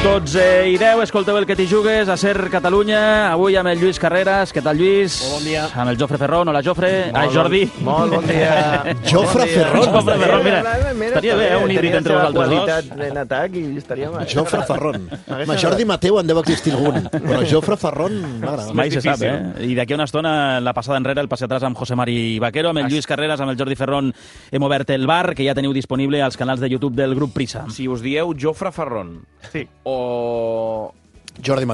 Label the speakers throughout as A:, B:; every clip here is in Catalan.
A: 12:10, escolteu el que t'hi jugues a Ser Catalunya, avui amb el Lluís Carreras. Què tal, Lluís?
B: Molt bon dia.
A: Amb el Jofre Ferrón. Hola, Jofre. Jordi.
B: Molt bon dia.
C: Jofre Ferrón.
A: Jofre Ferrón, mira. Estaria bé, un híbrid entre vosaltres dos.
B: Tenia en atac i estaria mal.
C: Jofre Ferrón. Jordi Mateu en deu existir algun, però Jofre Ferrón m'agrada.
A: Mai se sap, eh? I d'aquí a una estona, la passada enrere, el passi atrás amb José Mari Vaquero, amb el Lluís Carreras, amb el Jordi Ferrón, hem obert el bar, que ja teniu disponible als canals de YouTube del grup Prisa.
D: Si us dieu Jofre Ferrón o
C: Jordi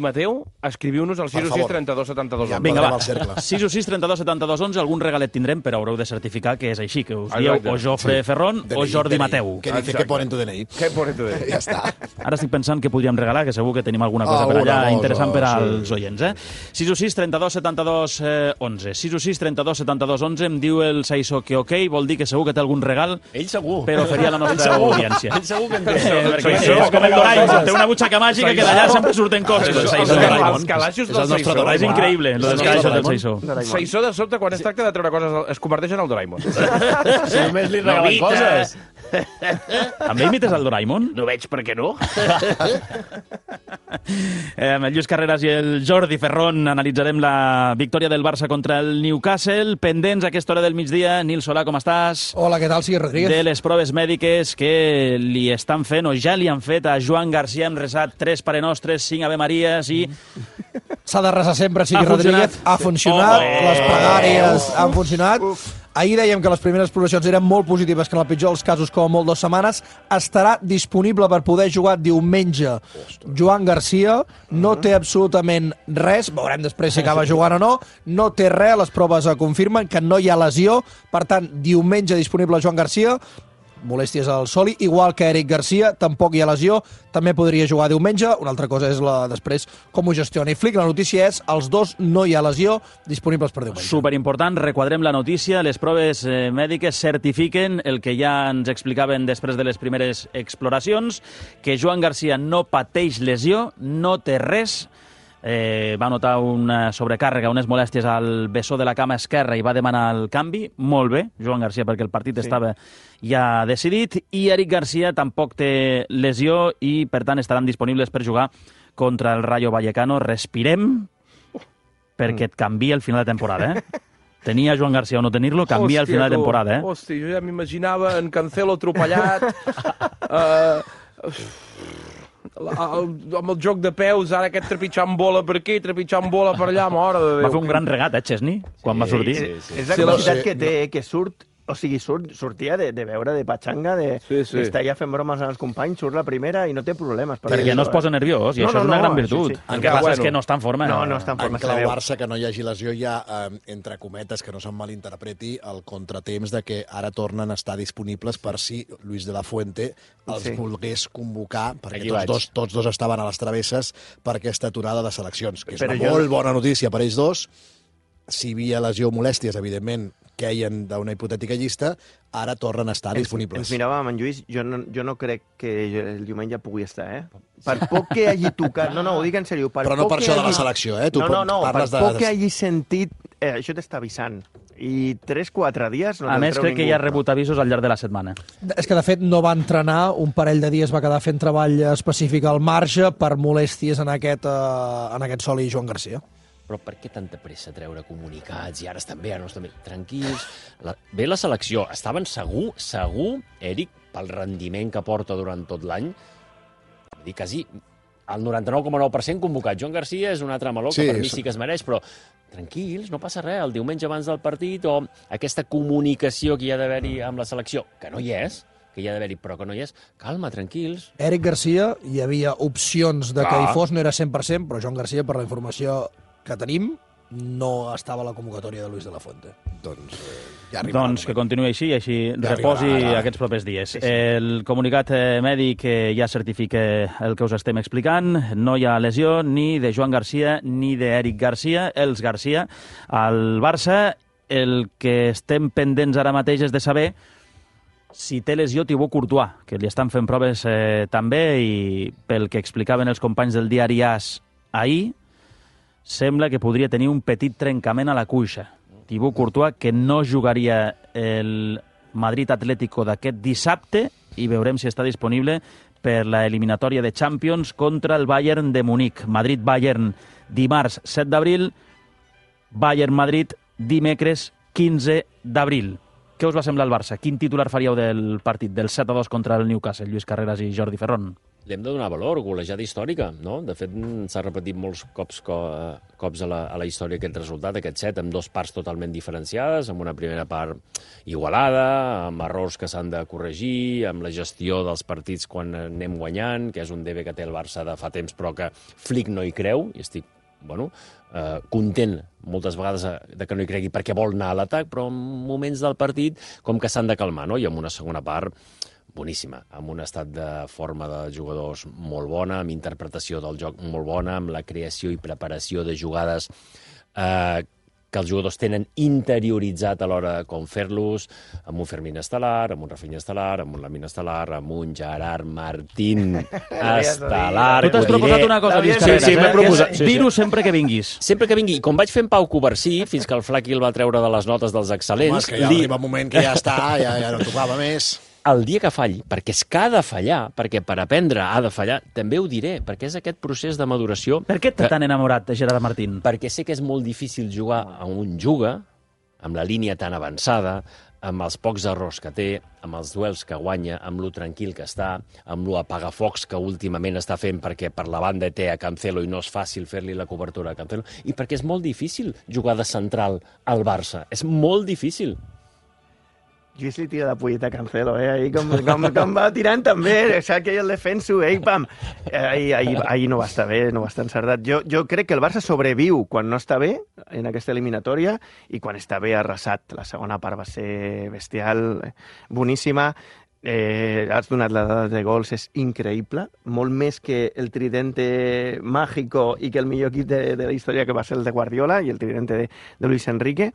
D: Mateu, escriviu-nos al 616 32 72
C: Ja,
D: 11.
A: Vinga, va.
C: 616
A: 616 32 72 11, algun regalet tindrem, però haureu de certificar que és així, que us dieu
D: Exacte.
A: o Jofre Ferrón o Jordi Mateu.
C: Que dice que ponen tu DNI.
D: Què pones tu de?
C: Ja està.
A: Ara estic pensant que podríem regalar, que segur que tenim alguna cosa per allà interessant per als oients. 616 32 72 11. 616 32 72 11, em diu el Saissó que ok, vol dir que segur que té algun regal
B: Ell segur.
A: per oferir a la nostra audiència.
B: Ell segur que en té.
A: Perquè és com el Doraemon, té una butxaca màgica que d'allà sempre surten coses.
D: Els calaixos
C: És
D: del
C: el nostre
D: Saissó.
C: Doraemon.
A: És increïble, lo dels calaixos del Saissó.
D: Saissó, de sobte, quan es tracta de treure coses, es converteix en el Doraemon.
B: Si només li regalen coses.
A: També imites el Doraemon?
D: No veig per què no.
A: Amb el Lluís Carreras i el Jordi Ferrón analitzarem la victòria del Barça contra el Newcastle. Pendents a aquesta hora del migdia. Nil Solà, com estàs?
E: Hola, què tal? Sí, Rodríguez.
A: De les proves mèdiques que li estan fent, o ja li han fet a Joan Garcia. Hem resat 3 Pare Nostres, 5 Ave Maries i...
E: S'ha de resar sempre, sigui
A: Ha
E: Rodríguez.
A: funcionat.
E: Ha funcionat,
A: Oh,
E: les pregàries han funcionat. Ahir dèiem que les primeres progressions eren molt positives, que en el pitjor dels casos, com a molt 2 setmanes, estarà disponible per poder jugar diumenge. Joan Garcia no té absolutament res, veurem després si acaba jugant o no, no té res, les proves confirmen que no hi ha lesió, per tant, diumenge disponible Joan Garcia, molèsties al soli, igual que Eric Garcia, tampoc hi ha lesió, també podria jugar diumenge. Una altra cosa és després com ho gestiona. I Flick, la notícia és, els dos no hi ha lesió, disponibles per diumenge.
A: Superimportant, requadrem la notícia. Les proves mèdiques certifiquen el que ja ens explicaven després de les primeres exploracions, que Joan Garcia no pateix lesió, no té res, va notar una sobrecàrrega, unes molèsties al bessó de la cama esquerra i va demanar el canvi. Molt bé, Joan Garcia, perquè el partit estava ja decidit, i Eric Garcia tampoc té lesió i, per tant, estaran disponibles per jugar contra el Rayo Vallecano. Respirem, perquè et canvia el final de temporada, Tenia Joan Garcia o no tenir-lo, canvia el final de temporada,
D: Hòstia, jo ja m'imaginava en Cancelo atropellat, amb el joc de peus, ara aquest trepitjant bola per aquí, trepitjant bola per allà, mare de Déu.
A: Va fer un gran regat, Chesney, quan va sortir.
B: És la capacitat que té, que surt, o sigui, sortia de veure, de patxanga, d'estar ja fent bromes als companys, surt la primera i no té problemes.
A: Perquè no es posa nerviós, i això és una gran virtut. El que passa és que no està en forma.
B: No està en forma.
C: En clau Barça, que no hi hagi lesió, hi ha, entre cometes, que no se'n malinterpreti, el contratemps de que ara tornen a estar disponibles per si Luis de la Fuente els volgués convocar, perquè tots dos estaven a les travesses per aquesta aturada de seleccions, que és una molt bona notícia per ells dos. Si hi havia lesió o molèsties, evidentment, queien d'una hipotètica llista, ara tornen a estar disponibles.
B: Ens miràvem en Lluís, jo no crec que el diumenge pugui estar, Per poc que hagi tocat... No, ho dic en sèrio.
C: Però no per això de la selecció, Tu
B: per poc que hagi sentit... Això t'està avisant. I 3-4 dies...
A: A més, crec que ja ha rebut avisos al llarg de la setmana.
E: És que, de fet, no va entrenar, un parell de dies va quedar fent treball específic al marge per molèsties en aquest soli Joan Garcia.
F: Però per què tanta pressa treure comunicats? I ara estan bé, ara no estan bé. Tranquils. Bé la selecció. Estaven segur, Eric, pel rendiment que porta durant tot l'any, vull dir, quasi el 99,9% convocat. Joan Garcia és un altre meló que per mi sí que es mereix, però tranquils, no passa res. El diumenge abans del partit, o aquesta comunicació que hi ha d'haver-hi amb la selecció, que no hi és, que hi ha d'haver-hi, però que no hi és. Calma, tranquils.
E: Eric Garcia, hi havia opcions de que hi fos, no era 100%, però Joan Garcia, per la informació que tenim, no estava a la convocatòria de Luis de la Fuente.
A: Doncs que continuï així i així reposi aquests propers dies. El comunicat mèdic ja certifica el que us estem explicant. No hi ha lesió ni de Joan Garcia ni d'Eric Garcia, els Garcia. Al Barça, el que estem pendents ara mateix és de saber si té lesió Thibaut Courtois, que li estan fent proves també, i pel que explicaven els companys del diari AS ahir, sembla que podria tenir un petit trencament a la cuixa. Thibaut Courtois, que no jugaria el Madrid Atlético d'aquest dissabte, i veurem si està disponible per la eliminatòria de Champions contra el Bayern de Munic. Madrid-Bayern dimarts 7 d'abril, Bayern-Madrid dimecres 15 d'abril. Què us va semblar el Barça? Quin titular faríeu del partit, del 7-2 contra el Newcastle, Lluís Carreras i Jordi Ferron?
F: Li hem de donar valor, golejada històrica, no? De fet, s'ha repetit molts cops a la història aquest resultat, aquest 7, amb 2 parts totalment diferenciades, amb una primera part igualada, amb errors que s'han de corregir, amb la gestió dels partits quan anem guanyant, que és un debe que té el Barça de fa temps, però que Flick no hi creu, i estic content moltes vegades de que no hi cregui perquè vol anar a l'atac, però en moments del partit com que s'han de calmar, no? I amb una segona part boníssima, amb un estat de forma de jugadors molt bona, amb interpretació del joc molt bona, amb la creació i preparació de jugades que els jugadors tenen interioritzat a l'hora de com fer-los, amb un Fermín estel·lar, amb un Rafinha estel·lar, amb un Lamine estel·lar, amb un Gerard Martín estel·lar...
A: Tu t'has proposat una cosa, Lluís Carreras,
F: sí, m'he proposat.
A: Dir-ho sempre que vinguis.
F: Sempre que vingui. I com vaig fer en Pau Covarsí, fins que el Flaqui el va treure de les notes dels excel·lents...
C: Home, és que ja arriba un moment que ja està, ja no tocava més...
F: El dia que falli, perquè és que ha de fallar, perquè per aprendre ha de fallar, també ho diré, perquè és aquest procés de maduració...
A: Per què t'ha tan enamorat de Gerard Martín?
F: Perquè sé que és molt difícil jugar a un juga, amb la línia tan avançada, amb els pocs errors que té, amb els duels que guanya, amb lo tranquil que està, amb lo apagafocs que últimament està fent perquè per la banda té a Cancelo i no és fàcil fer-li la cobertura a Cancelo, i perquè és molt difícil jugar de central al Barça. És molt difícil.
B: Lluís li tira la polleta a Cancelo, ahir com va tirant també, saps que el defenso, pam! Ahir no va estar bé, no va estar encertat. Jo crec que el Barça sobreviu quan no està bé en aquesta eliminatòria i quan està bé arrasat. La segona part va ser bestial, boníssima. Has donat la dada de gols, és increïble, molt més que el tridente mágico i que el millor equip de la història que va ser el de Guardiola i el tridente de Luis Enrique.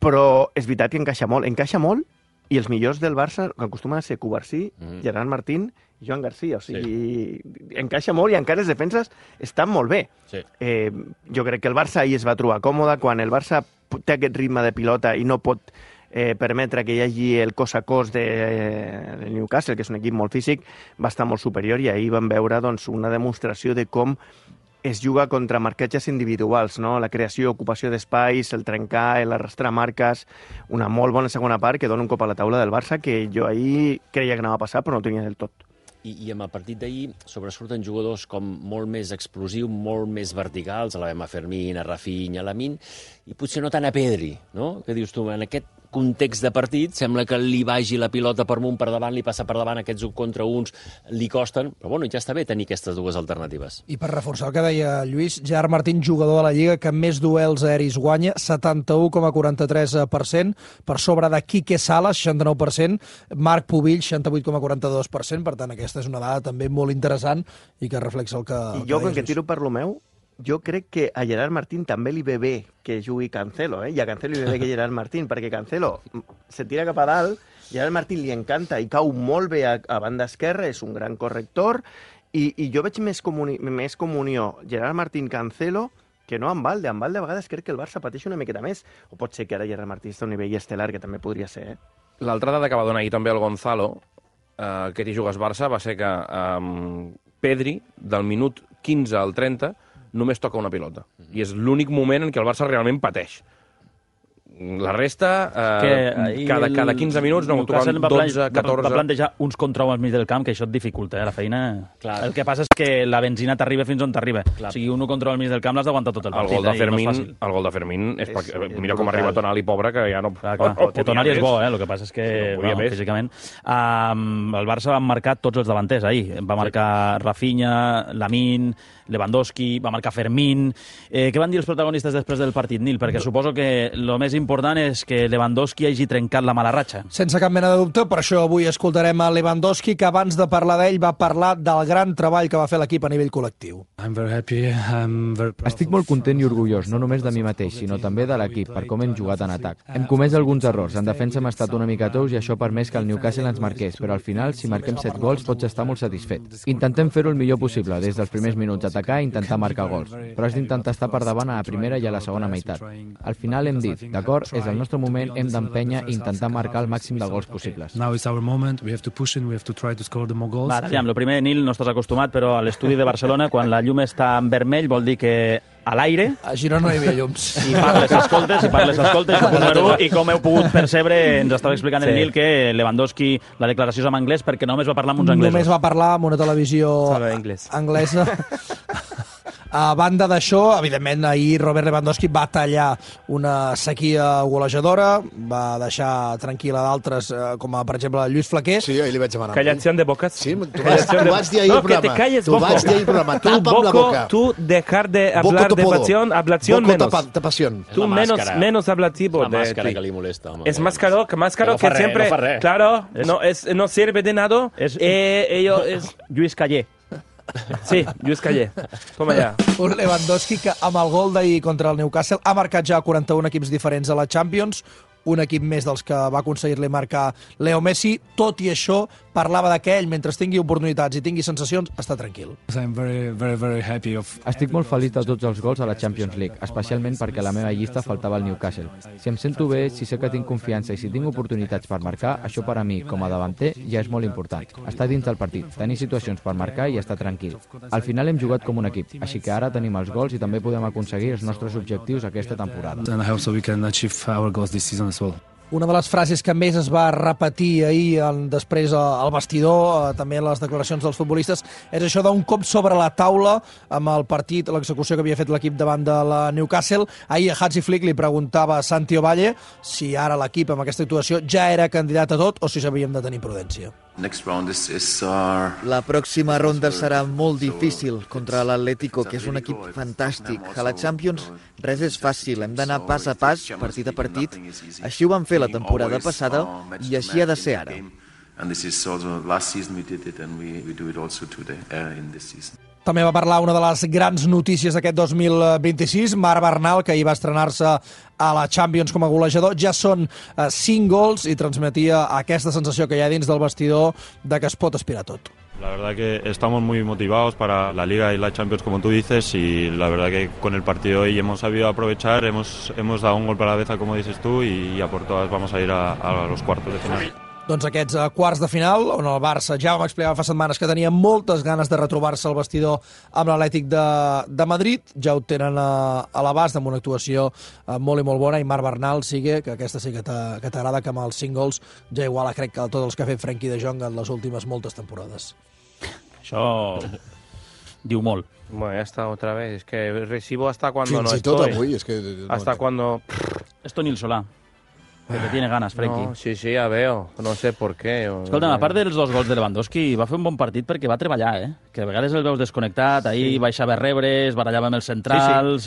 B: Però és veritat que encaixa molt, i els millors del Barça acostumen a ser Covarsí, Gerard Martín i Joan Garcia. O sigui, encaixa molt i encara les defenses estan molt bé.
F: Sí.
B: Jo crec que el Barça ahir es va trobar còmode. Quan el Barça té aquest ritme de pilota i no pot permetre que hi hagi el cos a cos del Newcastle, que és un equip molt físic, va estar molt superior, i ahir vam veure una demostració de com es juga contra marcatges individuals, no? La creació, ocupació d'espais, el trencar, l'arrastrar marques, una molt bona segona part que dona un cop a la taula del Barça que jo ahir creia que anava a passar però no tenia del tot.
F: I amb el partit d'ahir sobresurten jugadors com molt més explosius, molt més verticals, a la Bema Fermín, a Rafinha, a Lamine, i potser no tant a Pedri, no? Que dius tu, en aquest context de partit, sembla que li vagi la pilota per amunt, per davant, li passa per davant, aquests 1 contra 1 li costen, però bueno, ja està bé tenir aquestes dues alternatives.
E: I per reforçar el que deia Lluís, Gerard Martín, jugador de la Lliga que més duels aeris guanya, 71,43%, per sobre de Quique Salas, 69%, Marc Pubill, 68,42%, per tant, aquesta és una dada també molt interessant i que reflexa el que...
B: I jo, com que tiro per lo meu, jo crec que a Gerard Martín també li ve bé que jugui Cancelo, i a Cancelo li ve bé que Gerard Martín, perquè Cancelo se tira cap a dalt, Gerard Martín li encanta i cau molt bé a banda esquerra, és un gran corrector, i jo veig més comunió Gerard Martín-Cancelo que no amb Valde. Amb Valde a vegades crec que el Barça pateix una miqueta més, o pot ser que ara Gerard Martín està a un nivell estel·lar, que també podria ser.
D: L'altra dada que va donar ahir també el Gonzalo, que hi jugues Barça, va ser que Pedri, del minut 15 al 30, només toca una pilota. I és l'únic moment en què el Barça realment pateix. La resta, cada 15 minuts, no, tocaven 12, 14...
A: Va plantejar uns contra al mig del camp, que això et dificulta, la feina... Clar. El que passa és que la benzina t'arriba fins on t'arriba. O sigui, un contra al mig del camp l'has d'aguantar tot el partit.
F: El
D: gol de Fermín, mira com arriba Tonali, pobre, que ja no...
A: Que Tonali és bo, el que passa és que, físicament... El Barça va marcar tots els davanters ahir. Va marcar Rafinha, Lamine, Lewandowski, va marcar Fermín... Què van dir els protagonistes després del partit, Nil? Perquè suposo que el més important és que Lewandowski hagi trencat la mala ratxa.
E: Sense cap mena de dubte, per això avui escoltarem a Lewandowski, que abans de parlar d'ell va parlar del gran treball que va fer l'equip a nivell col·lectiu.
G: Estic molt content i orgullós, no només de mi mateix, sinó també de l'equip, per com hem jugat en atac. Hem comès alguns errors, en defensa hem estat una mica tous i això ha permès que el Newcastle ens marqués, però al final, si marquem 7 gols, pots estar molt satisfet. Intentem fer-ho el millor possible, des dels primers minuts atacar i intentar marcar gols, però has d'intentar estar per davant a la primera i a la segona meitat. Al final hem dit, d'acord, d'acord, és el nostre moment, hem d'empènyer i intentar marcar el màxim de gols possibles.
H: Now it's our moment, we have to push in, we have to try to score the more goals.
A: Va, aviam, lo primer, Nil, no estàs acostumat, però a l'estudi de Barcelona, quan la llum està en vermell, vol dir que a l'aire...
E: A Girona no hi havia llums.
A: I parles, escoltes, número 1, i com heu pogut percebre, ens estava explicant el Nil que Lewandowski, la declaració és en anglès perquè només va parlar amb uns anglesos.
E: Només va parlar amb una televisió anglesa. A banda d'això, evidentment, ahir Robert Lewandowski va tallar una sequia golejadora, va deixar tranquil·la d'altres, com per exemple Lluís Flaquer.
C: Sí, ahir li vaig demanar.
D: Callación de bocas.
C: Sí, tu vas dir ahir al programa.
D: Que te calles, Boco.
C: Tu vas dir ahir al programa. Tapa amb la boca.
D: Tú dejar de hablar de pasión, ablación menos.
C: Boco pasión.
D: Tú menos hablativo.
F: La máscara que li molesta. Home.
D: Es más caro que siempre... Claro, no sirve de nada. Ello es...
A: Lluís Callé.
D: Sí, Lluís Callé. Toma ja.
E: Un Lewandowski que amb el gol d'ahir contra el Newcastle ha marcat ja 41 equips diferents a la Champions, un equip més dels que va aconseguir-li marcar Leo Messi. Tot i això, parlava que ell, mentre tingui oportunitats i tingui sensacions, està tranquil.
G: Estic molt feliç de tots els gols a la Champions League, especialment perquè a la meva llista faltava el Newcastle. Si em sento bé, si sé que tinc confiança i si tinc oportunitats per marcar, això per a mi, com a davanter, ja és molt important. Estar dins del partit, tenir situacions per marcar i estar tranquil. Al final hem jugat com un equip, així que ara tenim els gols i també podem aconseguir els nostres objectius aquesta temporada.
E: Una de les frases que més es va repetir ahir després al vestidor, també en les declaracions dels futbolistes, és això d'un cop sobre la taula amb el partit, l'execució que havia fet l'equip davant de la Newcastle. Ahir a Hansi Flick li preguntava a Santi Ovalle si ara l'equip amb aquesta actuació ja era candidat a tot o si s'havíem de tenir prudència.
I: La pròxima ronda serà molt difícil contra l'Atlético, que és un equip fantàstic. A la Champions res és fàcil, hem d'anar pas a pas, partit a partit. Així ho vam fer la temporada passada i així ha de ser ara.
E: També va parlar una de les grans notícies d'aquest 2026, Marc Bernal, que ahir va estrenar-se a la Champions com a golejador. Ja són 5 gols i transmetia aquesta sensació que hi ha dins del vestidor de que es pot aspirar tot.
J: La verdad que estamos muy motivados para la Liga y la Champions, como tú dices, y la verdad que con el partido hoy hemos sabido aprovechar, hemos dado un golpe a la cabeza, como dices tú, y a por todas vamos a ir a los cuartos de final.
E: Doncs aquests quarts de final, on el Barça ja vam explicar fa setmanes que tenia moltes ganes de retrobar-se al vestidor amb l'Atlètic de Madrid, ja ho tenen a l'abast amb una actuació molt i molt bona, i Marc Bernal sigue, que aquesta sí que t'agrada, que amb els 5 gols ja iguala crec que tots els que ha fet Frenkie de Jong en les últimes moltes temporades.
A: Això diu molt.
D: Bueno, ya está otra vez. Es que recibo hasta cuando no
C: Fins i tot
D: estoy.
C: avui, és que...
D: Hasta cuando...
A: Esto ni el Solà. Que tiene ganas, Frenkie.
D: No, sí, ya veo. No sé por qué.
A: Escolta'm, a part dels 2 gols de Lewandowski, va fer un bon partit perquè va treballar, Que a vegades el veus desconnectat, ahir baixava a rebres, barallava amb els centrals,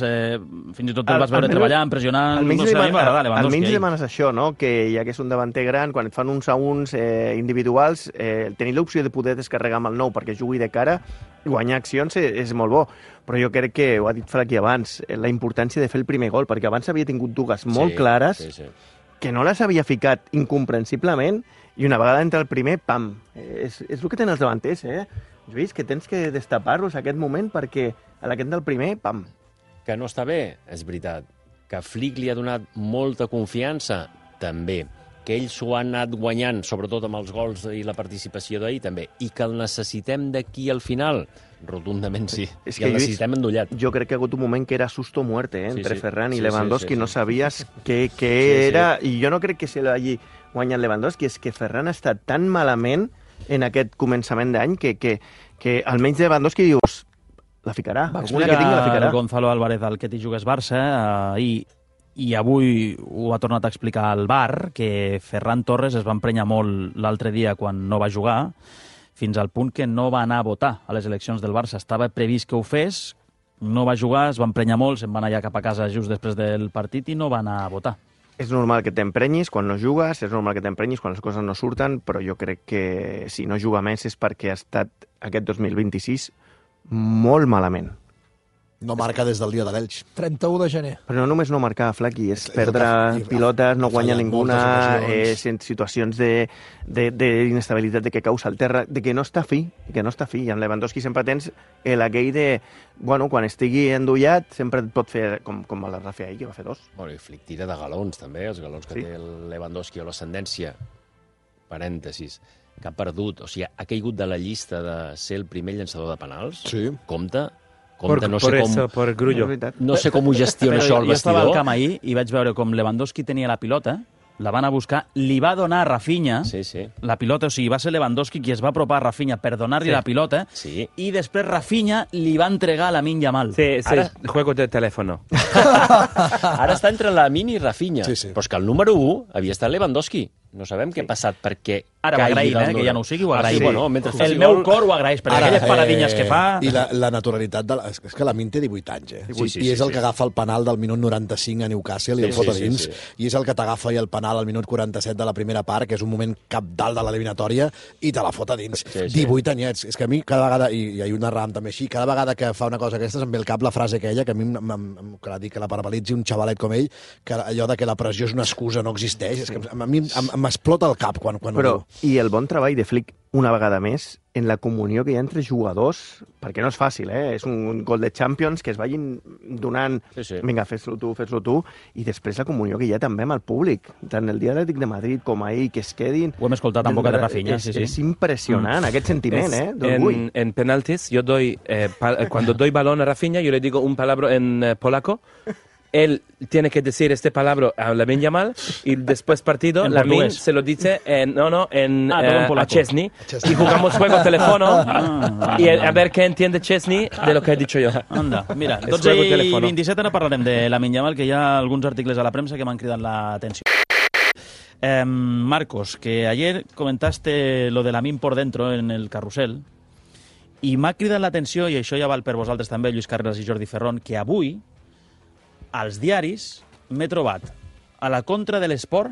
A: fins i tot el vas veure treballant, pressionant...
B: Almenys demanes això, no? Que ja que és un davanter gran, quan et fan uns a uns individuals, tenir l'opció de poder descarregar amb el nou perquè jugui de cara, guanyar accions és molt bo. Però jo crec que, ho ha dit Flaquer abans, la importància de fer el primer gol, perquè abans havia tingut dues molt clares, que no les havia ficat incomprensiblement, i una vegada entra el primer, pam! És el que tenen els davanters, Lluís, que tens que destapar-los a aquest moment perquè a aquest del primer, pam!
F: Que no està bé, és veritat. Que Flick li ha donat molta confiança, també. Que ells s'ho han anat guanyant, sobretot amb els gols i la participació d'ahir, també. I que el necessitem d'aquí al final, rotundament sí. I el necessitem endollat.
B: Jo crec que ha hagut un moment que era susto muerte, entre Ferran i Lewandowski, no sabies què era, i jo no crec que se l'hagi guanyat Lewandowski, és que Ferran ha estat tan malament en aquest començament d'any que almenys Lewandowski dius, la ficarà, alguna que tingui la ficarà.
A: Gonzalo Álvarez, el que t'hi jugués Barça, i avui ho ha tornat a explicar al VAR, que Ferran Torres es va emprenyar molt l'altre dia quan no va jugar, fins al punt que no va anar a votar a les eleccions del Barça. Estava previst que ho fes, no va jugar, es va emprenyar molt, se'n va anar ja cap a casa just després del partit i no va anar a votar.
B: És normal que t'emprenyis quan no jugues, és normal que t'emprenyis quan les coses no surten, però jo crec que si no juga més és perquè ha estat aquest 2026 molt malament.
C: No marca des del dia de l'Elx.
E: 31 de gener.
B: Però no només no marcar, Flaqui, és perdre pilotes, no guanyar ninguna, en situacions d'inestabilitat, de que cau al terra, de que no està fi, I en Lewandowski sempre tens aquell de, bueno, quan estigui endollat, sempre et pot fer, com el Rafa ahir, que va fer 2.
F: Bueno, i Flick tira de galons, també, els galons que té el Lewandowski o l'ascendència, parèntesis, que ha perdut, o sigui, ha caigut de la llista de ser el primer llançador de penals.
C: Sí.
F: Compte,
D: por Grullo.
F: No sé com ho gestiona això el
A: jo estava al
F: vestidor.
A: camp ahir i vaig veure com Lewandowski tenia la pilota, la van a buscar, li va donar a Rafinha la pilota, o sigui, va ser Lewandowski qui es va apropar a Rafinha per donar-li la pilota, i després Rafinha li va entregar a Lamine Yamal.
D: Ara... juego de teléfono.
F: Ara està entre Lamine i Rafinha, però és que el número 1 havia estat Lewandowski. No sabem què ha passat perquè...
A: Ara ho agraïm, que ja no ho sigui, ho agraïm.
F: Bueno,
A: el meu cor ho agraeix, perquè aquelles paradinyes que fa...
C: I la naturalitat... És que Lamine té 18 anys, I és el que agafa el penal del minut 95 a Newcastle i el fot a dins. I és el que t'agafa el penal al minut 47 de la primera part, que és un moment capdalt de l'eliminatòria, i te la fot a dins. 18 anyets. És que a mi cada vegada, i hi ha una ram també així, cada vegada que fa una cosa d'aquestes em ve al cap la frase aquella, que a mi que la parabalitzi un xavalet com ell, que allò de que la pressió és una excusa, no existeix. És que a mi m'explota el cap quan ho diu.
B: I el bon treball de Flick, una vegada més, en la comunió que hi ha entre jugadors, perquè no és fàcil, és un gol de Champions, que es vagin donant, vinga, fes-lo tu, i després la comunió que hi ha també amb el públic, tant el dia Atlètic de Madrid com ahir, que es quedin...
A: Ho hem escoltat en boca de Rafinha,
B: És impressionant, aquest sentiment, d'orgull.
D: En penaltis, yo doy, cuando doy balón a Rafinha, yo le digo un palabra en polaco. Él tiene que decir este palabra a Lamine Yamal y después partido Lamine se lo dice a Chesney y jugamos juego teléfono y a ver qué entiende Chesney de lo que he dicho yo.
A: Anda, mira, 12:27 ara parlarem de Lamine Yamal, que hi ha alguns articles a la premsa que m'han cridat l'atenció. Marcos, que ayer comentaste lo de Lamine por dentro en el carrusel i m'ha cridat l'atenció, i això ja val per vosaltres també, Lluís Carreras i Jordi Ferrón, que avui als diaris m'he trobat a la contra de l'esport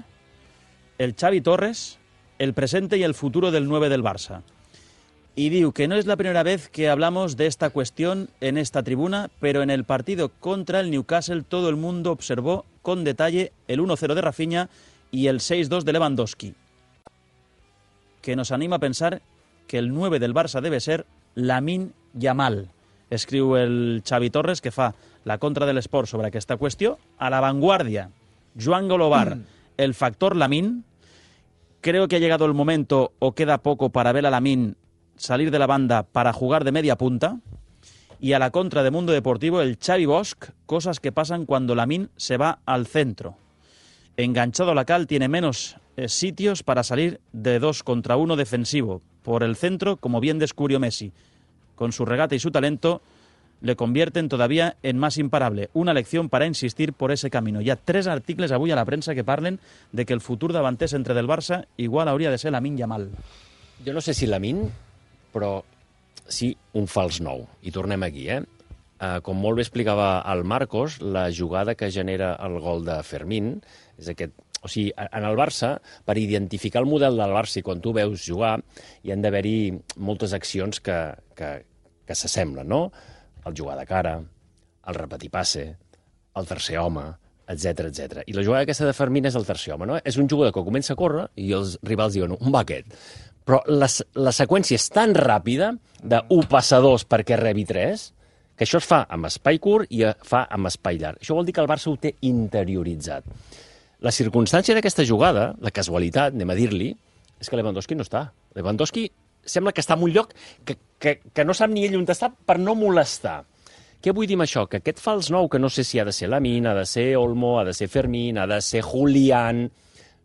A: el Xavi Torres, el presente y el futuro del 9 del Barça. Y digo que no es la primera vez que hablamos de esta cuestión en esta tribuna, pero en el partido contra el Newcastle todo el mundo observó con detalle el 1-0 de Rafinha y el 6-2 de Lewandowski, que nos anima a pensar que el 9 del Barça debe ser Lamine Yamal. Escriu el Xavi Torres, que fa la contra de l'esport sobre aquesta qüestió. A la vanguardia, Joan Golobar, el factor Lamine. Creo que ha llegado el momento, o queda poco, para ver a Lamine salir de la banda para jugar de media punta. Y a la contra de Mundo Deportivo, el Xavi Bosch, cosas que pasan cuando Lamine se va al centro. Enganchado a la cal, tiene menos sitios para salir de 2 contra 1 defensivo. Por el centro, como bien descubrió Messi. Con su regate y su talento, le convierten todavía en más imparable. Una lección para insistir por ese camino. Hi ha 3 articles avui a la premsa que parlen de que el futur davanter centre del Barça igual hauria de ser Lamine Yamal.
F: Jo no sé si Lamine, però sí un fals nou. I tornem aquí, com molt bé explicava el Marcos, la jugada que genera el gol de Fermín és aquest. O sigui, en el Barça, per identificar el model del Barça i quan tu veus jugar, hi han d'haver-hi moltes accions que s'assemblen, no? El jugar de cara, el repetir passe, el tercer home, etc. I la jugada aquesta de Fermín és el tercer home, no? És un jugador que comença a córrer i els rivals diuen, on va aquest? Però la seqüència és tan ràpida de 1 passa 2 perquè rebi 3, que això es fa amb espai curt i fa amb espai llarg. Això vol dir que el Barça ho té interioritzat. La circumstància d'aquesta jugada, la casualitat, anem a dir-li, és que Lewandowski no està. Lewandowski sembla que està en un lloc que no sap ni ell on està per no molestar. Què vull dir amb això? Que aquest fals nou, que no sé si ha de ser Lamine, ha de ser Olmo, ha de ser Fermín, ha de ser Julián,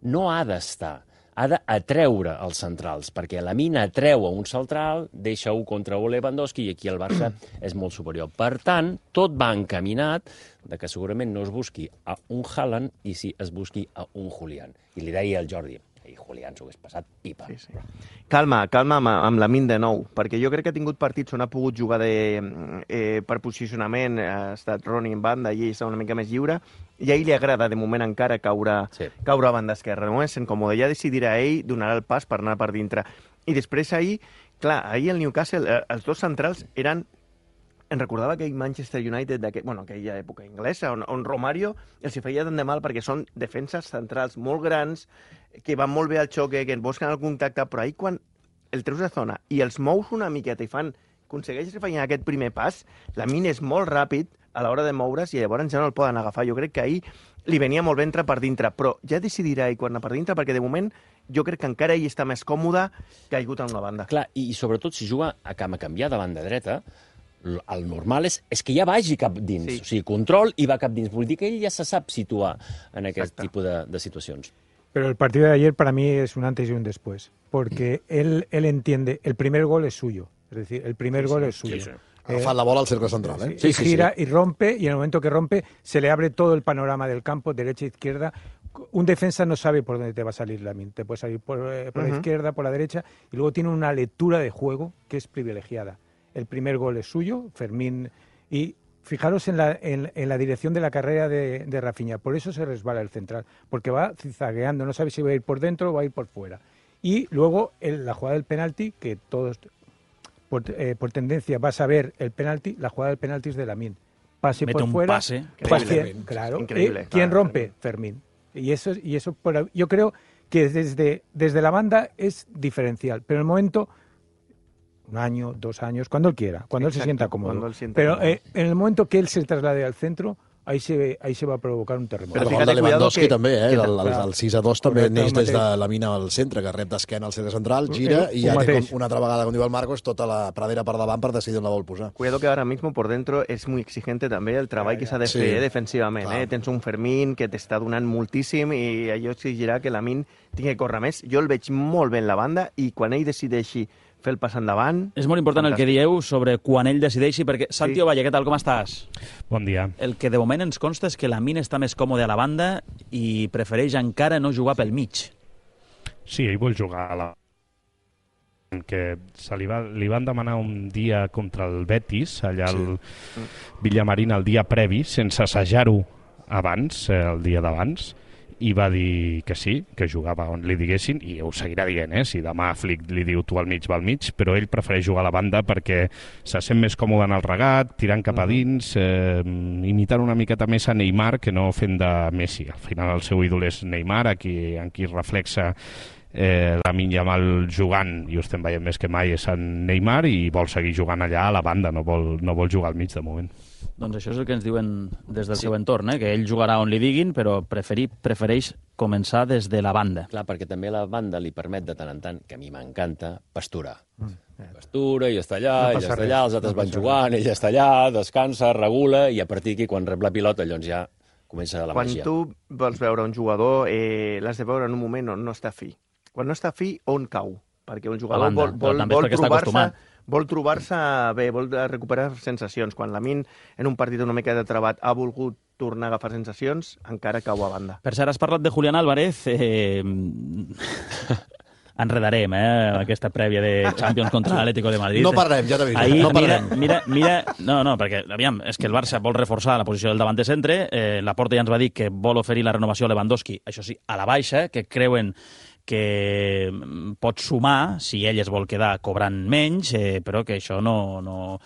F: no ha d'estar. Ha d'atreure els centrals, perquè Lamine atreu a un central, deixa 1 contra 1 Lewandowski i aquí el Barça és molt superior. Per tant, tot va encaminat de que segurament no es busqui a un Haaland i sí es busqui a un Julián. I li deia al Jordi, i Julián s'ho hagués passat pipa.
B: Sí. Calma amb Lamine de nou, perquè jo crec que ha tingut partits on ha pogut jugar per posicionament, ha estat Ronnie en banda i ell està una mica més lliure, i a ell li agrada de moment encara caure a banda esquerra. No és incòmode, ja decidirà ell, donarà el pas per anar per dintre. I després ahir el Newcastle, els 2 centrals eren em recordava aquell Manchester United, aquella època inglesa, on Romario els hi feia tant de mal perquè són defenses centrals molt grans, que van molt bé al xoque, que busquen el contacte, però ahir quan el treus de zona i els mous una miqueta i aconsegueixes que facin aquest primer pas, Lamine és molt ràpid a l'hora de moure's i llavors ja no el poden agafar. Jo crec que ahir li venia molt bé entrar per dintre, però ja decidirà ell quan anar per dintre, perquè de moment jo crec que encara ell està més còmode caigut en una banda.
F: Clar, i sobretot si juga a canviar de banda dreta, el normal és que ja vagi cap dins. Sí. O sigui, control i va cap dins. Vull dir que ell ja se sap situar en aquest tipus de situacions.
K: Pero el partido de ayer para mí es un antes y un después, porque él entiende, el primer gol es suyo, es decir, el primer gol es suyo.
C: Sí. Agafant la bola al cercle central, ¿eh?
K: Sí, gira y rompe, y en el momento que rompe se le abre todo el panorama del campo, derecha, izquierda. Un defensa no sabe por dónde te va a salir Lamine, te puede salir por la izquierda, por la derecha, y luego tiene una lectura de juego que es privilegiada. El primer gol es suyo, Fermín, y fijaros en la dirección de la carrera de Rafinha, por eso se resbala el central, porque va zigzagueando, no sabe si va a ir por dentro o va a ir por fuera. Y luego la jugada del penalti, que todos por tendencia vas a ver el penalti, la jugada del penalti es de Lamine. Pase
A: mete
K: por
A: un
K: fuera.
A: Pase.
K: Claro.
B: Increíble.
K: ¿Quién rompe? Fermín. Y eso yo creo que desde la banda es diferencial, pero en el momento, 1 año, 2 años, cuando él quiera, cuando él se sienta cómodo. Pero en el momento que él se traslade al centro, ahí se va a provocar un terremoto.
C: Però el de Lewandowski també, el 6-2 també neix des de la mina al centre, que rep d'esquena al centre central, gira i ja té una altra vegada, com diu el Marcos, tota la pradera per davant per decidir on la vol posar.
B: Cuidado que ahora mismo por dentro es muy exigente també el treball que s'ha de fer defensivament. Tens un Fermín que t'està donant moltíssim i allò exigirà que Lamine tingui que córrer més. Jo el veig molt bé en la banda i quan ell decideixi fer el pas endavant...
A: És molt important el que dieu sobre quan ell decideixi, perquè Santi Ovalle, què tal, com estàs?
L: Bon dia.
A: El que de moment ens consta és que Lamine està més còmode a la banda i prefereix encara no jugar pel mig.
L: Sí, ell vol jugar a la... que li van demanar un dia contra el Betis, allà al Villamarín, el dia previ, sense assajar-ho abans, el dia d'abans, i va dir que sí, que jugava on li diguessin, i ho seguirà dient, si demà Flick li diu tu al mig, va al mig, però ell prefereix jugar a la banda perquè se sent més còmode en el regat, tirant cap a dins, imitant una miqueta més a Neymar que no fent de Messi. Al final el seu ídol és Neymar, en qui reflexa Lamine Yamal jugant, i ho estem veient més que mai, és en Neymar, i vol seguir jugant allà a la banda, no vol jugar al mig de moment.
A: Doncs això és el que ens diuen des del seu entorn, que ell jugarà on li diguin, però prefereix començar des de la banda.
F: Clar, perquè també la banda li permet de tant en tant, que a mi m'encanta, pasturar. Pastura, ell està allà, els altres van jugant, ell està allà, descansa, regula, i a partir d'aquí, quan rep la pilota, llavors ja comença la màgia.
B: Quan tu vols veure un jugador, l'has de veure en un moment on no està fi. Quan no està fi, on cau? Perquè un jugador vol trobar-se bé, vol recuperar sensacions. Quan Lamine, en un partit una mica de trebat, ha volgut tornar a agafar sensacions, encara cau a banda.
A: Per cert, has parlat de Julián Álvarez. Enredarem, aquesta prèvia de Champions contra l'Atlético de Madrid.
C: No parlem, ja t'aviso. No parlem.
A: Mira, no, perquè, aviam, és que el Barça vol reforçar la posició del davanter centre. Laporta ja ens va dir que vol oferir la renovació a Lewandowski, això sí, a la baixa, que creuen que pot sumar si ell es vol quedar cobrant menys, però que això no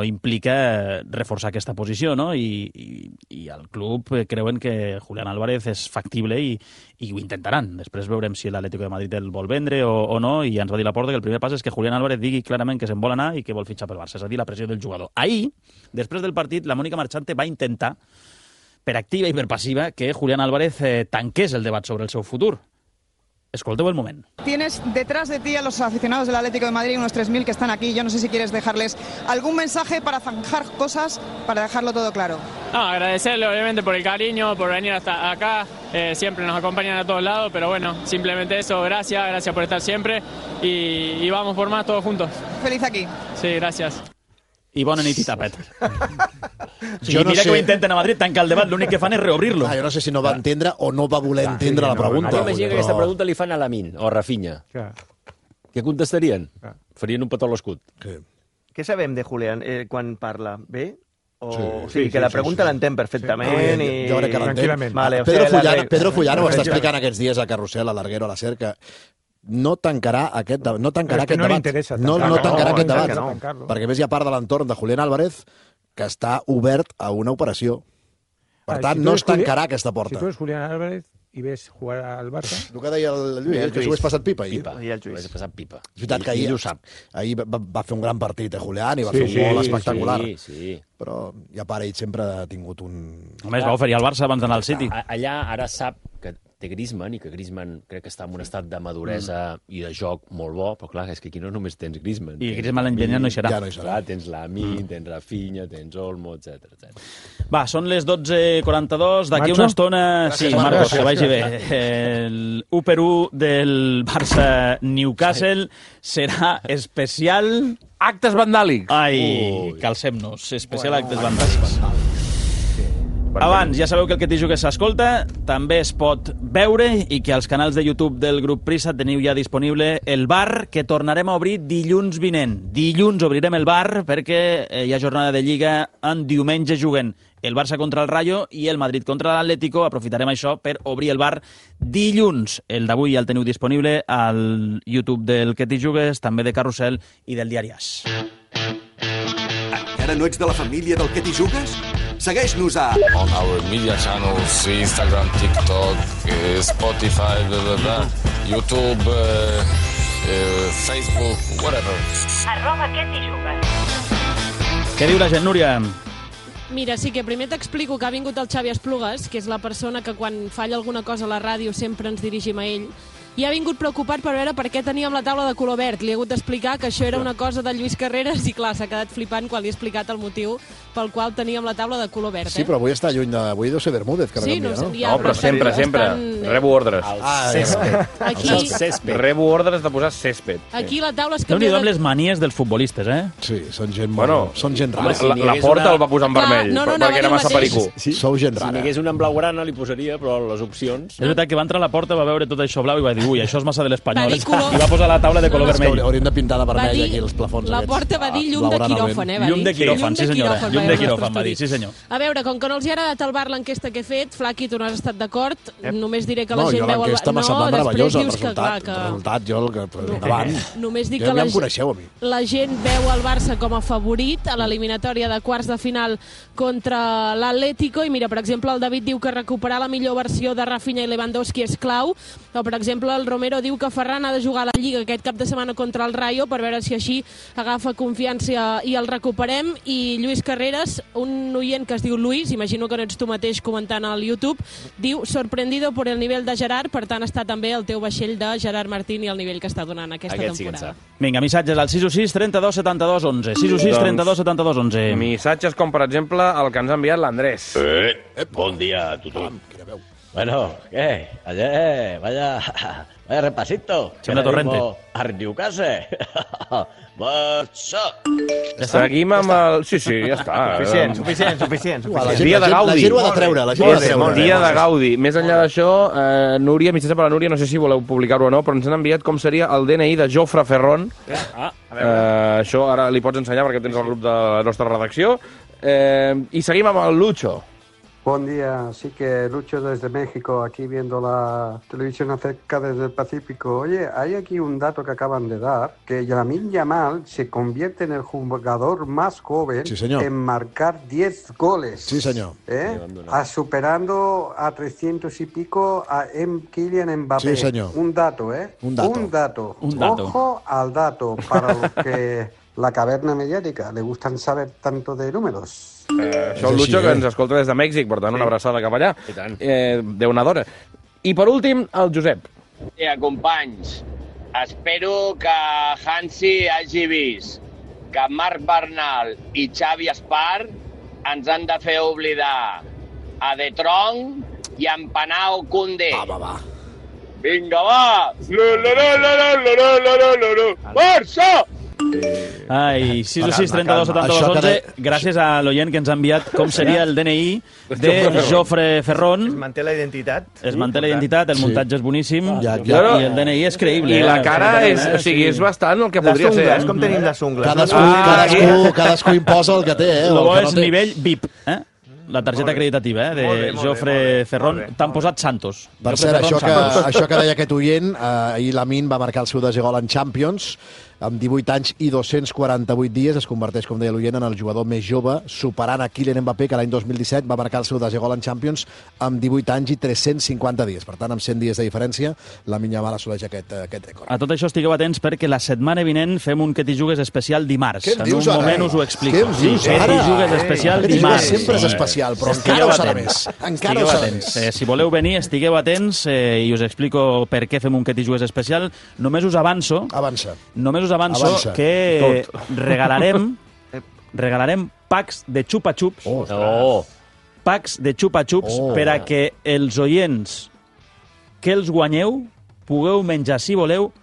A: implica reforçar aquesta posició, no? I al club creuen que Julián Álvarez és factible i ho intentaran. Després veurem si l'Atlético de Madrid el vol vendre o no, i ens va dir Laporta que el primer pas és que Julián Álvarez digui clarament que se'n vol anar i que vol fitxar pel Barça, és a dir, la pressió del jugador. Ahir, després del partit, la Mónica Marchante va intentar, per activa i per passiva, que Julián Álvarez tanqués el debat sobre el seu futur. Escolteu el moment.
M: Tienes detrás de ti a los aficionados del Atlético de Madrid, unos 3.000 que están aquí. Yo no sé si quieres dejarles algún mensaje para zanjar cosas, para dejarlo todo claro.
N: No, agradecerle obviamente por el cariño, por venir hasta acá. Siempre nos acompañan a todos lados, pero bueno, simplemente eso. Gracias por estar siempre y vamos por más todos juntos.
M: Feliz aquí.
N: Sí, gracias.
A: I bona nit i tapet. Mira que ho intenten a Madrid, tancar el debat, l'únic que fan és reobrir-lo.
C: Jo no sé si no va entendre o no va voler entendre la pregunta.
F: M'imagino que aquesta pregunta li fan a Lamine o a Rafinha. Què contestarien? Farien un petó a l'escut.
B: Què sabem de Julián quan parla? Bé? Sí, que la pregunta l'entén perfectament.
C: Jo crec que l'entén. Pedro Fullano ho està explicant aquests dies a Carrusel, a l'Arguero, a la Cerca. no tancarà aquest debat. No tancarà aquest
K: no li
C: debat.
K: interessa
C: No tancarà aquest debat.
K: tancar-lo.
C: Perquè a més hi ha part de l'entorn de Julián Álvarez que està obert a una operació. Per tant, no es tancarà aquesta porta.
K: Si tu eres Julián Álvarez i ves jugar al Barça...
C: El que deia el Lluís, que s'ho hagués passat pipa ahir.
F: Ho hagués passat pipa.
C: És veritat que ahir,
F: ho sap.
C: Ahir va fer un gran partit, Julián, i va fer un gol espectacular.
F: Sí.
C: Però ja per ell sempre ha tingut un...
A: A més, va oferir al Barça abans d'anar al City.
F: Allà ara sap que té Griezmann i que Griezmann crec que està en un estat de maduresa i de joc molt bo, però clar, és que aquí no només tens Griezmann.
A: I Griezmann l'any vinent no hi serà.
C: Ja no hi serà.
F: Clar, tens Lamine, tens Rafinha, tens Olmo, etc.
A: Va, són les 12:42. D'aquí una estona... Sí, Marcos, que vagi bé. El 1-1 del Barça-Newcastle serà especial...
D: Actes vandàlics.
A: Ai, calcem-nos. Especial actes vandàlics. Abans, ja sabeu que el Que t'hi jugues s'escolta, també es pot veure i que als canals de YouTube del grup Prisa teniu ja disponible el bar que tornarem a obrir dilluns vinent. Dilluns obrirem el bar perquè hi ha jornada de Lliga, en diumenge juguen el Barça contra el Rayo i el Madrid contra l'Atlético. Aprofitarem això per obrir el bar dilluns. El d'avui ja el teniu disponible al YouTube del Que t'hi jugues, també de Carrusel i del Diari AS.
O: Encara no ets de la família del Que t'hi jugues? Segueix-nos a...
P: On our media channels, Instagram, TikTok, Spotify, YouTube, Facebook, whatever.
Q: @Que t'hi jugues.
A: Què diu la gent, Núria?
R: Mira, sí que primer t'explico que ha vingut el Xavi Esplugues, que és la persona que quan falla alguna cosa a la ràdio sempre ens dirigim a ell, i ha vingut preocupat per veure per què teníem la taula de color verd. Li he hagut d'explicar que això era una cosa de Lluís Carreras i, clar, s'ha quedat flipant quan li he explicat el motiu pel qual teníem la taula de color verd.
C: Sí, però avui està lluny de... Avui deu ser Bermúdez, que
R: sí,
C: no?
R: Ja,
D: no, però sempre. Rebo ordres.
R: Aquí...
D: Rebo ordres de posar césped.
R: Aquí la taula es
A: canvia...
R: canvia...
A: Déu-n'hi-do amb les manies dels futbolistes, eh?
C: Sí, són gent molt... Són gent rara.
D: La porta el va posar en vermell, perquè era massa pericú.
C: Sou gent rara.
F: Si n'hi hagués una en blaugrana li posaria, però les opcions...
A: És veritat que va entrar a la porta, va veure tot això blau i va dir, ui, això és massa de l'Espanyol.
R: Color...
A: I va posar la taula de color vermell.
C: Hauríem de pintar de vermell aquí els plafons.
R: La porta va dir llum de quiròfan,
A: Llum de quiròfan, sí senyora. Llum de quiròfan, va dir, sí senyor.
R: A veure, com que no els hi ha agradat al bar l'enquesta que he fet, Flaqui, tu no has estat d'acord, només diré que la gent veu...
C: No, jo l'enquesta m'ha semblat meravellosa, el
R: resultat,
C: endavant.
R: Només dic
C: ja
R: que
C: em coneixeu, a mi.
R: La gent veu el Barça com a favorit a l'eliminatòria de quarts de final contra l'Atlético, i mira, per exemple, el David diu que recuperar la millor versió de Rafinha i Lewandowski és clau, o per exemple, el Romero diu que Ferran ha de jugar a la Lliga aquest cap de setmana contra el Rayo per veure si així agafa confiança i el recuperem. I Lluís Carreras, un oient que es diu Luis, imagino que no ets tu mateix comentant al YouTube, diu sorprendido por el nivell de Gerard, per tant està també el teu vaixell de Gerard Martín i el nivell que està donant aquesta temporada.
A: Vinga, missatges al 616 32 72 11. 616 32 72 11.
D: Missatges com, per exemple, el que ens ha enviat l'Andrés.
S: Bon dia a tothom. Bueno, ¿qué? Ayer, vaya repasito.
A: Xona Torrente.
S: A Newcastle. Barça.
D: Seguim amb el... Sí, ja està.
B: Suficient.
D: Dia de Gaudi.
C: La gent ho ha de treure.
D: Dia de Gaudi. Més enllà d'això, Núria, missatge per la Núria, no sé si voleu publicar-ho o no, però ens han enviat com seria el DNI de Jofre Ferron. Això ara li pots ensenyar perquè tens el grup de la nostra redacció. I seguim amb el Lucho.
T: Buen día, sí que Lucho desde México, aquí viendo la televisión acerca desde el Pacífico. Oye, hay aquí un dato que acaban de dar, que Lamine Yamal se convierte en el jugador más joven en marcar 10 goles.
C: Sí, señor.
T: Superando a 300 y pico a Kylian Mbappé.
C: Sí, señor.
T: Un dato, ¿eh?
C: Un dato.
T: Ojo al dato, para los que la caverna mediática le gustan saber tanto de números.
D: Això el Lucho, que ens escolta des de Mèxic, per tant, una abraçada cap allà. Déu-n'adora. I per últim, el Josep.
U: Companys, espero que Hansi hagi vist que Marc Bernal i Xavi Espart ens han de fer oblidar a De Tron i a Empanao Koundé.
C: Va.
U: Vinga, va! Barça!
A: Ai, 616 32 72 11. Gràcies a l'oient que ens ha enviat com seria el DNI de Jofre Ferron.
B: Es manté la identitat.
A: Es manté la identitat, el muntatge és boníssim i el DNI és creïble.
D: I la cara és bastant el que podria ser.
B: Les ungles, com tenim les ungles.
C: Cadascú imposa el que té,
A: El bo és nivell VIP. la targeta acreditativa de Jofre Ferrón. T'han posat Santos.
C: Per cert, això que deia aquest oient, ahir Lamine va marcar el seu desè gol en Champions, amb 18 anys i 248 dies, es converteix, com deia l'oient, en el jugador més jove, superant a Kylian Mbappé, que l'any 2017 va marcar el seu desè gol en Champions amb 18 anys i 350 dies. Per tant, amb 100 dies de diferència, Lamine Yamal assoleix aquest rècord.
A: A tot això estigueu atents perquè la setmana vinent fem un Que t'hi jugues especial dimarts.
C: Què em dius
A: en un
C: ara?
A: moment us ho explico.
C: Què em dius
A: Que
C: ara?
A: t'hi jugues especial
C: Que t'hi jugues
A: dimarts.
C: sempre és especial, però encara ho serà més. Encara ho serà més.
A: Si voleu venir, estigueu atents i us explico per què fem un Que t'hi jugues especial. Només us avanço que regalarem packs de xupa-xups. Packs de xupa-xups per a que els oients que els guanyeu pugueu menjar, si voleu,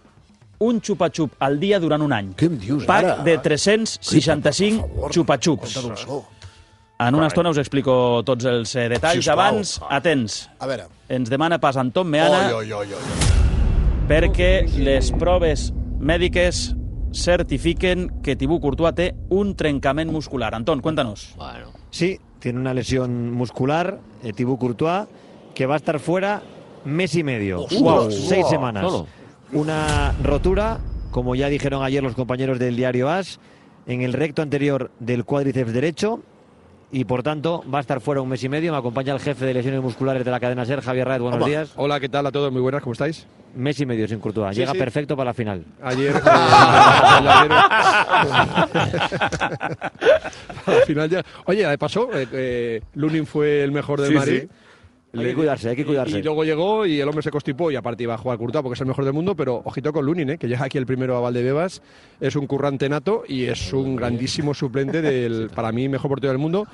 A: un xupa-xup al dia durant un any.
C: Què em dius
A: Pack
C: ara?
A: de 365 xupa-xups. En una estona us explico tots els detalls.
C: Sisplau.
A: Abans, atents.
C: A veure.
A: Ens demana pas Anton Meana perquè les proves mèdiques certifiquen que Thibaut Courtois té un trencament muscular. Anton, cuéntanos.
H: Sí, tiene una lesión muscular, Thibaut Courtois, que va a estar fuera mes y medio.
F: Wow,
H: 6 semanas.
F: Solo.
H: Una rotura, como ya dijeron ayer los compañeros del diario AS, en el recto anterior del cuádriceps derecho, y por tanto va a estar fuera un mes y medio. Me acompaña el jefe de lesiones musculares de la cadena SER, Javier Raed. Buenos días.
V: Hola, ¿qué tal a todos? Muy buenas, ¿cómo estáis?
H: Mes y medio sin Courtois.
V: Sí,
H: Llega
V: sí.
H: perfecto para la final.
V: Ayer... al final ya... Oye, de paso, Lunin fue el mejor del Madrid.
H: Sí. Hay que cuidarse, hay que cuidarse.
V: Y luego llegó y el hombre se constipó y aparte iba a jugar Courtois porque es el mejor del mundo, pero ojito con Lunin, que llega aquí el primero a Valdebebas, es un currante nato y es un grandísimo suplente del, para mí, mejor portero del mundo.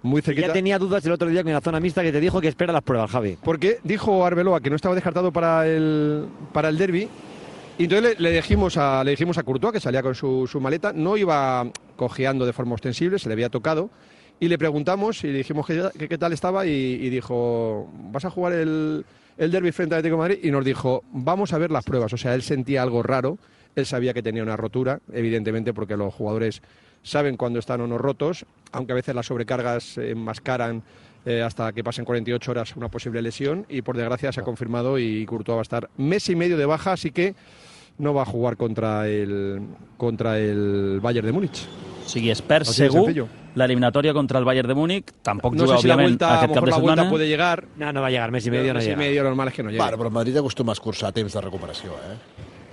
V: Muy cerquita.
H: Ya tenía dudas el otro día con la zona mixta que te dijo que espera las pruebas, Javi.
V: Porque dijo Arbeloa que no estaba descartado para el derbi. Y entonces le dijimos a Courtois, que salía con su maleta, no iba cojeando de forma ostensible, se le había tocado. Y le preguntamos y le dijimos qué tal estaba y dijo, ¿vas a jugar el derbi frente al Atlético de Madrid? Y nos dijo, vamos a ver las pruebas. O sea, él sentía algo raro, él sabía que tenía una rotura, evidentemente porque los jugadores saben cuándo están o no rotos, aunque a veces las sobrecargas enmascaran hasta que pasen 48 horas una posible lesión, y por desgracia se ha confirmado y Courtois va a estar mes y medio de baja, así que no va a jugar contra el Bayern de Múnich.
A: O sigui, es perd segur la eliminatoria contra el Bayern de Múnich. Tampoc
V: no
A: juga,
V: sé si
A: òbviament, aquest cap de
V: la
A: setmana.
V: vuelta puede llegar.
H: No va a llegar, mes y medio no llega.
V: Mes y medio normal es que no llegue.
C: Bueno, però el Madrid acostuma a escurçar temps de recuperació,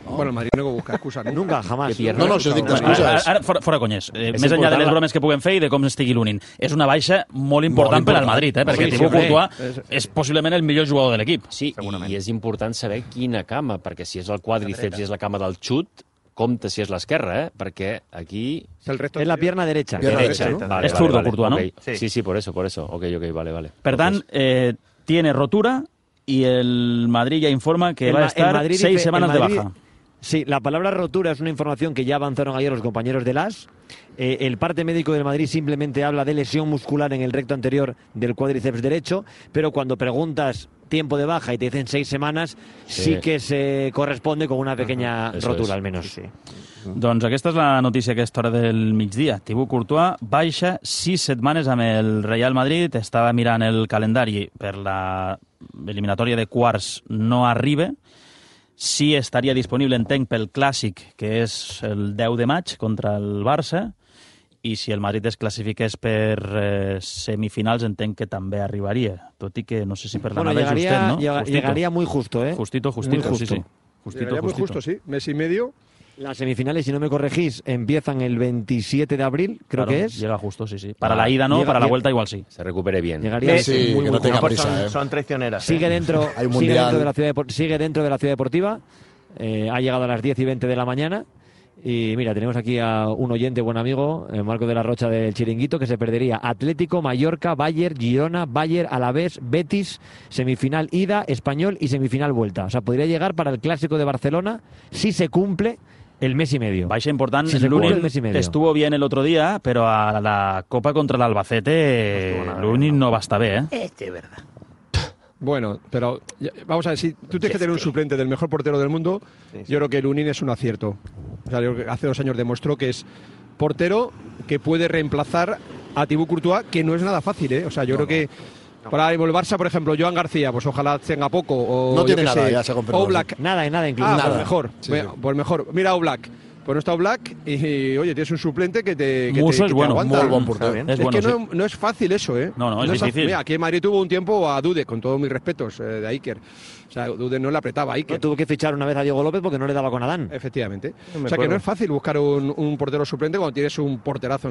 V: Bueno, el Madrid no busca excusas.
H: Nunca, jamás.
C: No, això dic d'excuses.
A: Ara, fora conyes. Més enllà de les bromes que puguem fer i de com estigui Lunin. És una baixa molt important per al Madrid, perquè Thibaut Courtois és possiblement el millor jugador de l'equip.
F: Sí, i és important saber quina cama, perquè si és el quàdriceps i és la cama del xut, compte si és l'esquerra, perquè aquí...
H: Es la pierna derecha.
F: Vale,
A: es zurdo, Courtois, ¿no?
F: Okay. Sí, por eso. Ok, vale.
A: Per tant, tiene rotura y el Madrid ya informa que va a estar 6 semanas de baja.
H: Sí, la palabra rotura es una información que ya avanzaron ayer los compañeros del AS. El parte médico del Madrid simplemente habla de lesión muscular en el recto anterior del cuádriceps derecho, pero cuando preguntas tiempo de baja y te dicen 6 semanas, sí que se corresponde con una pequeña rotura, al menos. Sí.
A: Doncs aquesta és la notícia a aquesta hora del migdia. Thibaut Courtois baixa 6 setmanes amb el Real Madrid. Estava mirant el calendari per la eliminatòria de quarts, no arriba. Sí estaria disponible, entenc, pel Clàssic, que és el 10 de maig contra el Barça, i si el Madrid es classifiqués per semifinals, entenc que també arribaria, tot i que no sé si per la nave justet, ¿no?
H: Llegaría muy justo, ¿eh?
A: Justito,
H: muy
A: sí.
V: Llegaría muy justo, sí. Mes y medio.
H: Las semifinales, si no me corregís, empiezan el 27 de abril, creo que es.
A: Llega justo, sí. Para la ida no, para la vuelta igual sí.
F: Se recupere bien.
H: Llegaría
C: sí,
H: muy,
C: que no tenga prisa.
B: Son traicioneras.
H: Sigue dentro, sigue dentro de la ciudad deportiva. Ha llegado a las 10 y 20 de la mañana. Y mira, tenemos aquí a un oyente, buen amigo, Marco de la Rocha del Chiringuito, que se perdería Atlético, Mallorca, Bayern, Girona, Bayern, Alavés, Betis, semifinal ida, Español y semifinal vuelta. O sea, podría llegar para el Clásico de Barcelona si se cumple el mes y medio.
A: Baixa important.
H: Si
A: Lunin estuvo bien el otro día, pero a la Copa contra el Albacete Lunin no va a estar bien, ¿eh?
B: Es verdad.
V: Bueno, pero vamos a ver, si tú tienes que tener un suplente del mejor portero del mundo, yo creo que Lunin es un acierto. O sea, yo creo que hace 2 años demostró que es portero que puede reemplazar a Thibaut Courtois, que no es nada fácil, ¿eh? O sea, yo creo que para el Barça, por ejemplo, Joan García, pues ojalá tenga poco. O,
C: no tiene nada, ya se ha comprado.
V: Oblak.
H: Nada incluso.
V: Ah,
H: nada.
V: Pues mejor.
C: Sí.
V: Pues mejor. Mira Oblak. Pues no está Oblak y, oye, tienes un suplente que te
A: Musso es bueno,
V: aguanta.
C: Muy buen portero.
V: Es
A: bueno,
V: que no es fácil eso, ¿eh?
A: No, es difícil.
V: Mira, aquí en Madrid tuvo un tiempo a Dude, con todos mis respetos, de Iker. O sea, Dude no le apretaba a Iker.
H: Tuvo que fichar una vez a Diego López porque no le daba con Adán.
V: Efectivamente. O sea, que no es fácil buscar un portero suplente cuando tienes un porterazo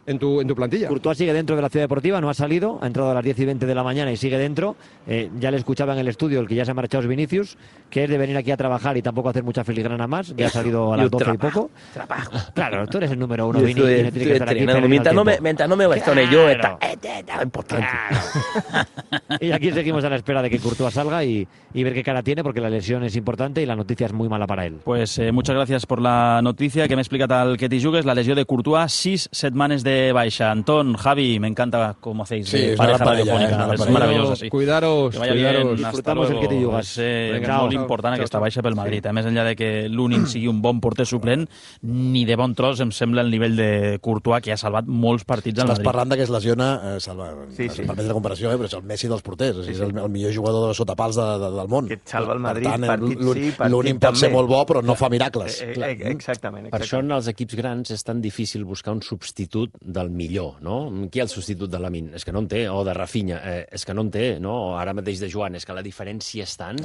V: en tu plantilla.
H: Courtois sigue dentro de la ciudad deportiva, no ha salido, ha entrado a las 10:20 de la mañana y sigue dentro. Ya le escuchaba en el estudio, el que ya se ha marchado es Vinicius, que es de venir aquí a trabajar y tampoco hacer mucha filigrana más. Ya ha salido a las 12 y poco. Claro, tú eres el número uno, Vini, y no tienes que estar aquí.
D: Mientras no me bastone yo, está importante.
H: Y aquí seguimos a la espera de que Courtois salga y ver qué cara tiene, porque la lesión es importante y la noticia es muy mala para él.
A: Pues muchas gracias por la noticia que me explica tal que te jugues. La lesión de Courtois, 6 setmanes de baixa. Antón, Javi, me encanta cómo hacéis de pareja radiofónica. Es maravilloso, sí.
V: Cuidaros,
A: que vaya bien.
H: Disfrutamos el que te jugas.
A: És molt important aquesta baixa pel Madrid. Més enllà de que l'Unin sigui un bon porter suplent, ni de bon tros em sembla el nivell de Courtois, que ha salvat molts partits al Madrid.
C: Estàs parlant que es lesiona, permets la comparació, però és el Messi dels porters. És el millor jugador de sotapals del món.
B: Que et salva el Madrid,
C: per tant,
B: partit sí, partit
C: l'Unin pot ser molt bo, però no fa miracles.
B: Exactament.
F: Per això en els equips grans és tan difícil buscar un substitut del millor, no? Qui és el substitut de Lamine? És que no en té, o de Rafinha, és que no en té, no? Ara mateix de Joan, és que la diferència és tant.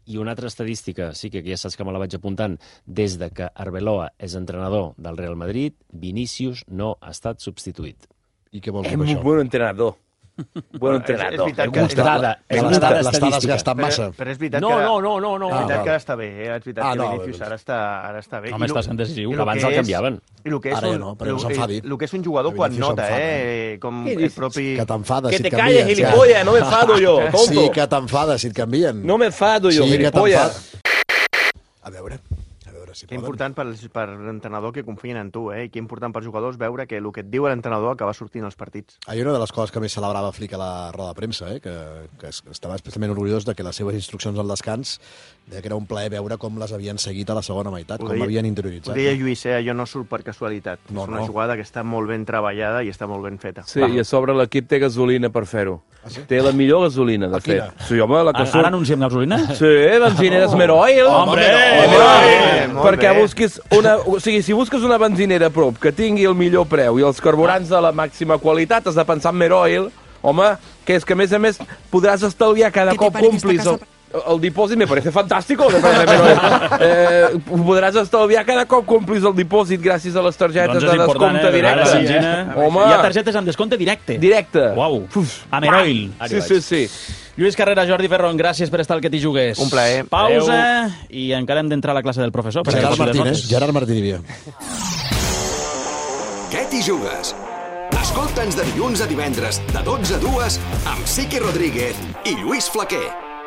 F: I una altra estadística, sí que ja saps que me la vaig apuntant, des de que Arbeloa és entrenador del Real Madrid, Vinícius no ha estat substituït.
C: I què vols dir per això?
D: És un bon entrenador. Bon entrenador.
C: L'està desgastant massa.
B: Però és veritat
F: que... No.
B: És veritat que ara està bé, és veritat que Vinícius ara està bé.
A: Home, està sent decisiu.
F: Abans el canviaven.
C: Ara ja no, però no s'enfadi.
B: El que és un jugador quan nota, com el propi...
C: Que t'enfades si et canvien.
D: Que te calles, gilipollas, no me enfado yo, tonto.
C: Sí que t'enfades si et canvien.
D: No me enfado yo, gilipollas.
C: A veure si
B: que important per l'entrenador que confien en tu, i que important pels jugadors veure que el que et diu l'entrenador acaba sortint als partits.
C: Hi ha una de les coses que més celebrava Flick a la roda de premsa, que estava especialment orgullós de que les seves instruccions al descans, que era un plaer veure com les havien seguit a la segona meitat, com l'havien interioritzat.
B: Ho deia Lluís, allò no surt per casualitat. És una jugada que està molt ben treballada i està molt ben feta.
D: Sí, i a sobre l'equip té gasolina per fer-ho. Té la millor gasolina, de fet. Sí, home, la que surt...
A: Ara anunciem gasolina?
D: Sí, benzineres Meroil.
A: Hombre!
D: Perquè busquis una... O sigui, si busques una benzinera a prop que tingui el millor preu i els carburants de la màxima qualitat, has de pensar en Meroil, home, que és que a més podràs estalviar cada cop complis el dipòsit. Me parece fantástico. Podràs estalviar cada cop complis el dipòsit gràcies a les targetes de descompte directe.
A: Home. Hi ha targetes amb descompte directe.
D: Directe.
A: Uau. A Meroil.
D: Sí.
A: Lluís Carrera, Jordi Ferron, gràcies per estar al que t'hi jugues.
B: Un plaer.
A: Pausa i encara hem d'entrar a la classe del professor.
C: Gerard Martínez.
O: Què t'hi jugues? Escolta'ns de dilluns a divendres, de 12 a 2, amb Sique Rodríguez i Lluís Flaquer.